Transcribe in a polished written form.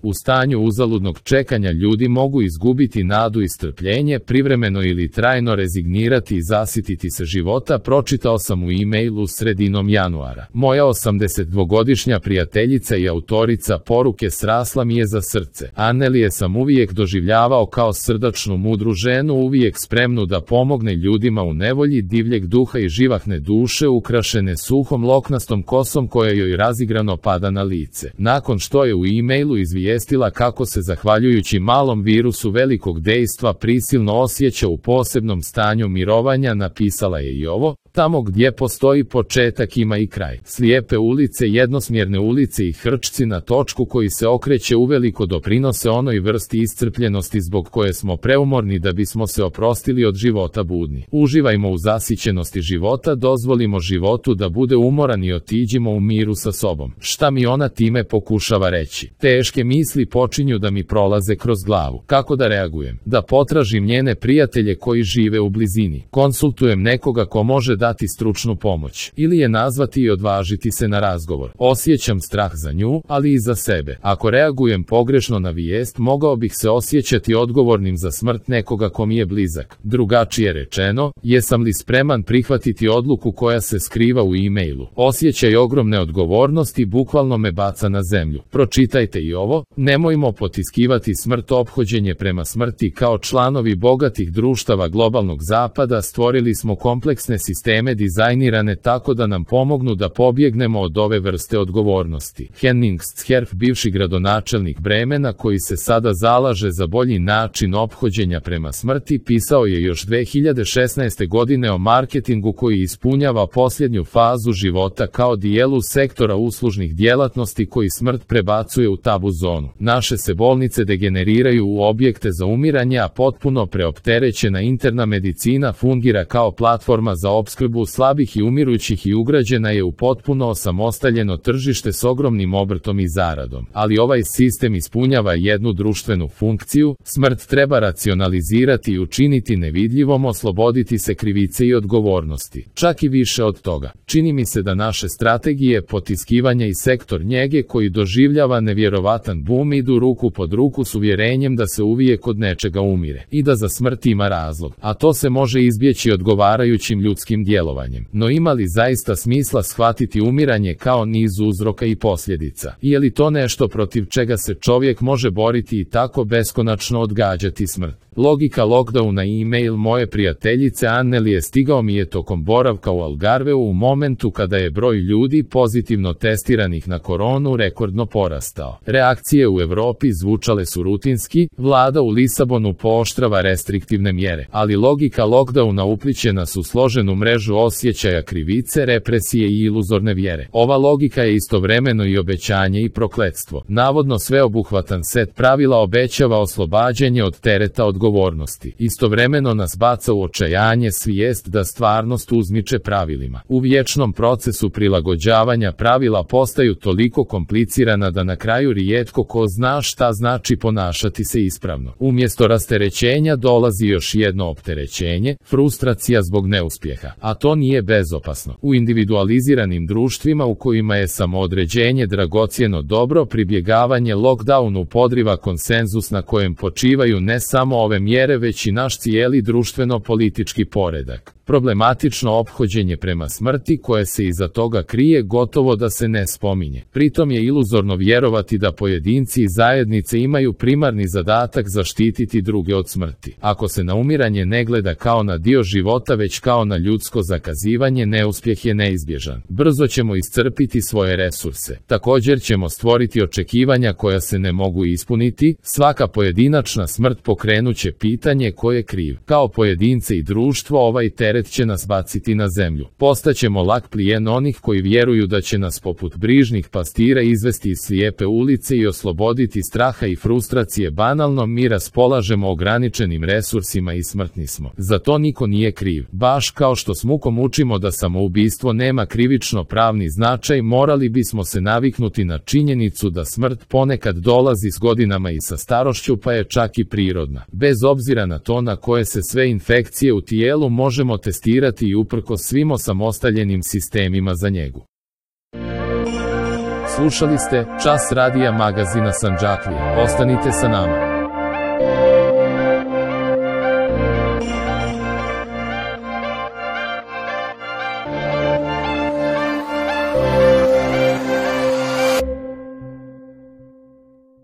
U stanju uzaludnog čekanja ljudi mogu izgubiti nadu i strpljenje, privremeno ili trajno rezignirati i zasititi se života, pročitao sam u e-mailu sredinom januara. Moja 82-godišnja prijateljica i autorica poruke srasla mi je za srce. Annelije sam uvijek doživljavao kao srdačnu, mudru ženu, uvijek spremnu da pomogne ljudima u nevolji, divljeg duha i živahne duše, ukrašene suhom loknastom kosom koja joj razigrano pada na lice. Nakon što je u e-mailu izvijestila kako se zahvaljujući malom virusu velikog dejstva prisilno osjeća u posebnom stanju mirovanja, napisala je i ovo: tamo gdje postoji početak ima i kraj. Slijepe ulice, jednosmjerne ulice i hrčci na točku koji se okreće uveliko doprinose onoj vrsti iscrpljenosti zbog koje smo preumorni da bismo se oprostili od života budni. Uživajmo u zasićenosti života, dozvolimo životu da bude umoran i otiđimo u miru sa sobom. Šta mi ona time pokušava reći? Teške misli počinju da mi prolaze kroz glavu. Kako da reagujem? Da potražim njene prijatelje koji žive u blizini. Konsultujem nekoga ko može dati stručnu pomoć. Ili je nazvati i odvažiti se na razgovor. Osjećam strah za nju, ali i za sebe. Ako reagujem pogrešno na vijest, mogao bih se osjećati odgovornim za smrt nekoga ko mi je blizak. Drugačije rečeno, jesam li spreman prihvatiti odluku koja se skriva u e-mailu? Osjećaj ogromne odgovornosti bukvalno me baca na zemlju. Pročitajte i ovo: nemojmo potiskivati smrt. Ophođenje prema smrti. Kao članovi bogatih društava globalnog zapada stvorili smo kompleksne sisteme dizajnirane tako da nam pomognu da pobjegnemo od ove vrste odgovornosti. Henning Scherf, bivši gradonačelnik Bremena koji se sada zalaže za bolji način ophođenja prema smrti, pisao je još 2016. godine o marketingu koji ispunjava posljednju fazu života kao dijelu sektora uslužnih djelatnosti koji smrt prebacuje u tabu zonu. Naše se bolnice degeneriraju u objekte za umiranje, a potpuno preopterećena interna medicina fungira kao platforma za opskrbu slabih i umirućih i ugrađena je u potpuno osamostaljeno tržište s ogromnim obrtom i zaradom. Ali ovaj sistem ispunjava jednu društvenu funkciju: smrt treba racionalizirati i učiniti nevidljivom, osloboditi se krivice i odgovornosti. Čak i više od toga. Čini mi se da naše strategije potiskivanja i sektor njege koji doživljava nevjerovatan bum idu ruku pod ruku s uvjerenjem da se uvijek od nečega umire i da za smrt ima razlog, a to se može izbjeći odgovarajućim ljudskim djelovanjem. No ima li zaista smisla shvatiti umiranje kao niz uzroka i posljedica? Je li to nešto protiv čega se čovjek može boriti i tako beskonačno odgađati smrt? Logika lockdowna. E-mail moje prijateljice Annelije stigao mi je tokom boravka u Algarveu u momentu kada je broj ljudi pozitivno testiranih na koronu rekordno porastao. Reakcije u Europi zvučale su rutinski, vlada u Lisabonu pooštrava restriktivne mjere, ali logika lockdowna upliće nas u složenu mrežu osjećaja krivice, represije i iluzorne vjere. Ova logika je istovremeno i obećanje i prokletstvo. Navodno sveobuhvatan set pravila obećava oslobađanje od tereta odgovornosti. Istovremeno nas baca u očajanje svijest da stvarnost uzmiče pravilima. U vječnom procesu prilagođavanja pravila postaju toliko komplicirana da na kraju rijetko ko zna šta znači ponašati se ispravno. Umjesto rasterećenja dolazi još jedno opterećenje, frustracija zbog neuspjeha. A to nije bezopasno. U individualiziranim društvima u kojima je samoodređenje dragocjeno dobro, pribjegavanje lockdownu podriva konsenzus na kojem počivaju ne samo ove mjere već i naš cijeli društveno-politički poredak. Problematično ophođenje prema smrti koje se iza toga krije gotovo da se ne spominje. Pritom je iluzorno vjerovati da pojedinci i zajednice imaju primarni zadatak zaštititi druge od smrti. Ako se na umiranje ne gleda kao na dio života već kao na ljudsko zakazivanje, neuspjeh je neizbježan. Brzo ćemo iscrpiti svoje resurse. Također ćemo stvoriti očekivanja koja se ne mogu ispuniti. Svaka pojedinačna smrt pokrenuće pitanje ko je kriv. Kao pojedince i društvo ovaj teret će nas baciti na zemlju. Postaćemo lak plijen onih koji vjeruju da će nas poput brižnih pastira izvesti iz slijepe ulice i osloboditi straha i frustracije. Banalno, mi raspolažemo ograničenim resursima i smrtni smo. Za to niko nije kriv. Baš kao što s mukom učimo da samoubistvo nema krivično pravni značaj, morali bismo se naviknuti na činjenicu da smrt ponekad dolazi s godinama i sa starošću, pa je čak i prirodna. Bez obzira na to na koje se sve infekcije u tijelu možemo testirati i uprkos svim osamostaljenim sistemima za njegu. Slušali ste Čas radija magazina Sandžaklije. Ostanite sa nama.